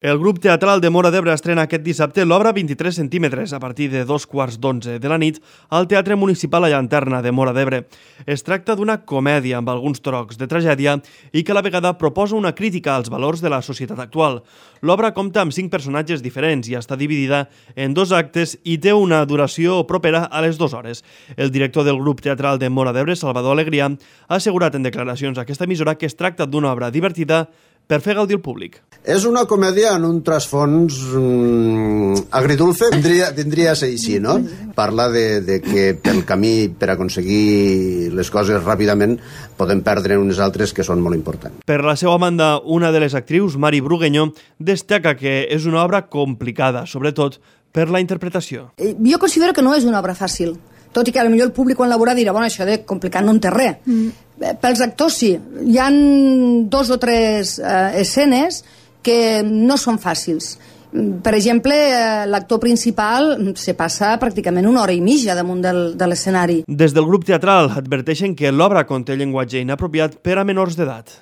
El grup teatral de Móra d'Ebre estrena aquest dissabte l'obra 23 centímetres a partir de 2:15 de la nit al Teatre Municipal La Llanterna de Móra d'Ebre. Es tracta d'una comèdia amb alguns trocs de tragèdia i que a la vegada proposa una crítica als valors de la societat actual. L'obra compta amb 5 personatges diferents i està dividida en 2 actes i té una duració propera a les 2 hores. El director del grup teatral de Móra d'Ebre, Salvador Alegria, ha assegurat en declaracions a aquesta emissora que es tracta d'una obra divertida per fer gaudir el públic. És una comèdia en un trasfons agridulce, tindria a ser així, no? Parla de que pel camí per aconseguir les coses ràpidament podem perdre unes altres que són molt importants. Per la seva banda, una de les actrius, Mari Brugueño, destaca que és una obra complicada, sobretot per la interpretació. Jo considero que no és una obra fàcil, tot i que potser el públic quan la veurà dirà, bueno, això de complicat no en té res. Pels actors sí, hi ha 2 o 3 escenes que no són fàcils. Per exemple, l'actor principal se passa pràcticament 1 hora i mitja damunt de l'escenari. Des del grup teatral adverteixen que l'obra conté llenguatge inapropiat per a menors d'edat.